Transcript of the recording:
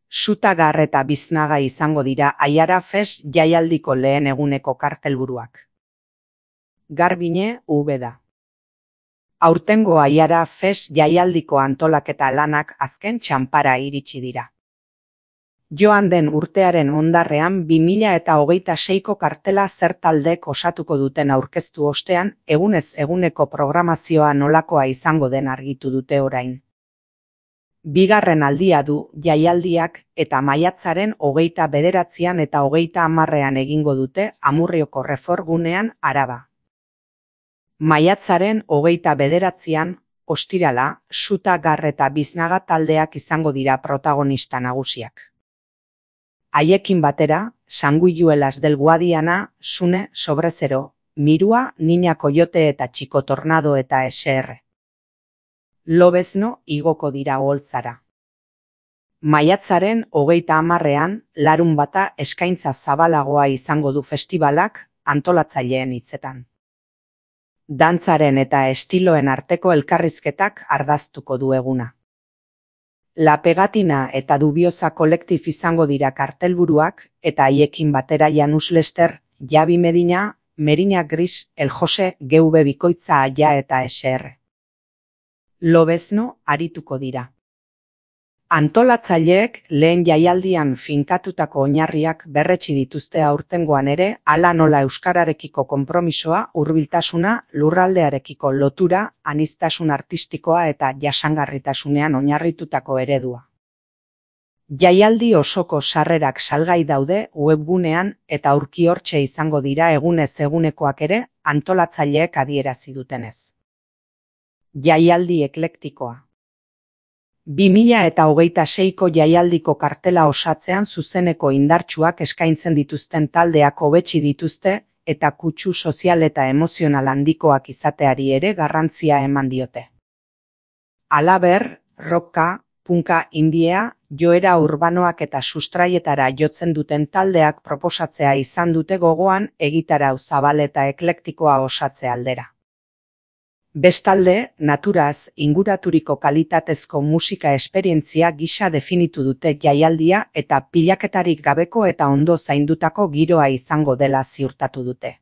Sutagar eta Biznaga izango dira Aiara Fest jaialdiko lehen eguneko kartelburuak. Garbine, Ubeda. Aurtengo Aiara Fest jaialdiko antolaketa lanak azken txanpara iritsi dira. Joan den urtearen ondarrean 2026ko kartela zer taldek osatuko duten aurkeztu ostean, egunez eguneko programazioa nolakoa izango den argitu dute orain. Bigarren aldia du jaialdiak eta maiatzaren 29an eta 30an egingo dute Amurrioko Refor gunean Araba. Maiatzaren 29an, ostirala, Sutagar eta Biznaga taldeak izango dira protagonista nagusiak. Haiekin batera, Sanguijuelas del Guadiana, Sune, Sobrezero, Mirua, Niña Coyote eta Chico Tornado eta SR. Lobezno igoko dira Oholtzara. Maiatzaren 30an, larunbata eskaintza zabalagoa izango du festibalak antolatzaileen hitzetan. Dantzaren eta estiloen arteko elkarrizketak ardaztuko du eguna. La Pegatina eta Dubiosa kolektif izango dira kartelburuak eta haiekin batera Janus Lester, Javi Medina, Merina Gris, El Jose, GV Bikoitza Aia eta SR. Lobezno arituko dira. Antolatzaileek lehen jaialdian finkatutako oinarriak berretsi dituzte aurtengoan ere, hala nola euskararekiko konpromisoa, hurbiltasuna, lurraldearekiko lotura, aniztasun artistikoa eta jasangarritasunean oinarritutako eredua. Jaialdi osoko sarrerak salgai daude webgunean eta aurki hortxe izango dira egunez egunekoak ere antolatzaileek adierazi dutenez. Jaialdi eklektikoa. 2026ko jaialdiko kartela osatzean zuzeneko indartsuak eskaintzen dituzten taldeak hobetsi dituzte eta kutsu sozial eta emozional handikoak izateari ere garrantzia eman diote. Halaber, rocka, punka, indiea, joera urbanoak eta sustraietara jotzen duten taldeak proposatzea izan dute gogoan egitarau zabal eta eklektikoa osatze aldera. Bestalde, naturaz inguraturiko kalitatezko musika esperientzia gisa definitu dute jaialdia eta pilaketarik gabeko eta ondo zaindutako giroa izango dela ziurtatu dute.